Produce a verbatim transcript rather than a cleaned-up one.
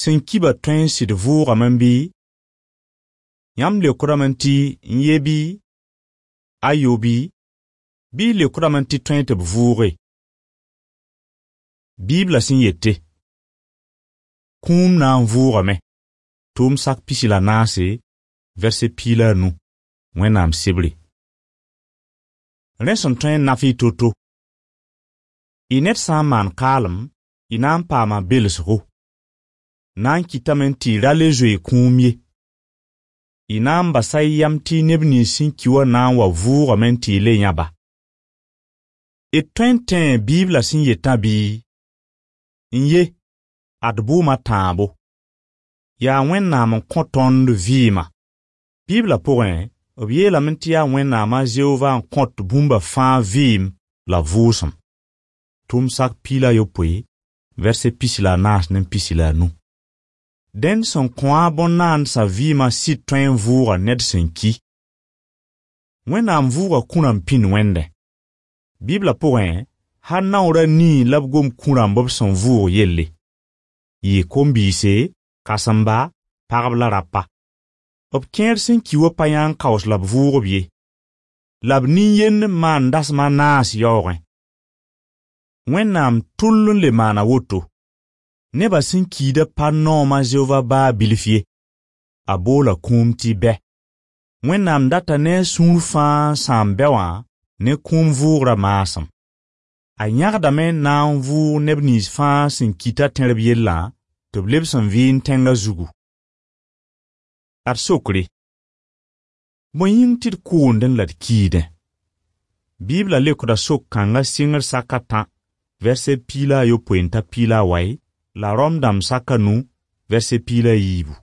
Sin kiba tõe sɩd vʋʋgame n bɩ? Yãmb leokdame n tɩ n ye bɩ? Ayobi, bɩ y leokdame n tɩ tõe tɩ b vʋʋge. Bibla sẽn yette: Kũum na n vʋʋgame. Tʋʋm sak pisi la naase, verset piila a nu, Wẽnnaam sebre. Rẽ sẽn tõe n naf y to-to. Y ned sã n maan kaalem, y na n paama belsgo. Na n kɩtame tɩ y ra le zoe kũum ye. Y na n basa y yam tɩ neb nins sẽn ki wã na n wa vʋʋgame tɩ y le yãba. D tõe n tẽ Bibla sẽn yetã bɩ? N ye, ad bʋʋma tãabo. Yaa Wẽnnaam n kõ tõnd vɩɩma. Bibla pʋgẽ, b yeelame tɩ yaa Wẽnnaam a Zeova n kõt bũmba fãa vɩɩm la vʋʋsem. Tʋʋm sak piila yopoe, verset pisi la naas ne pisi la nu. Dẽnd sẽn kõ-a bõn-naandsa vɩɩmã sɩd tõe n vʋʋga ned sẽn ki. Wẽnnaam vʋʋga kũ rãmb pĩnd wẽnde. Bibla pʋgẽ, ha naoorã nii la b gom kũ rãmb b sẽn vʋʋg yelle. Yɩ kom-biise, kãsemba, pagb la rapa. B kẽer sẽn ki wã pa yãng kaos la b vʋʋgb ye. La b nin-yend maan dasma naas yaoogẽ. Wẽnnaam tʋll n le maana woto. Neba sẽn kiida pa noom a Zeova baa bilf ye. A boola kũum tɩ bɛ. Wẽnnaam data ne a sũur fãa sãn bɛ wã ne kũum vʋʋgrã maasem. A yãgdame na n vʋʋg neb nins fãa sẽn kita tẽrb yellã tɩ b leb sẽn vɩɩn tẽngã zugu. Ad sokre. Bõe yĩng tɩ d koondẽ la d kiidẽ? Bibla lekda sok-kãngã sɩngr saka tã, verset piila a yopoe t'a piila a wai, la Rom dãmb saka nu, verset piila a yiibu.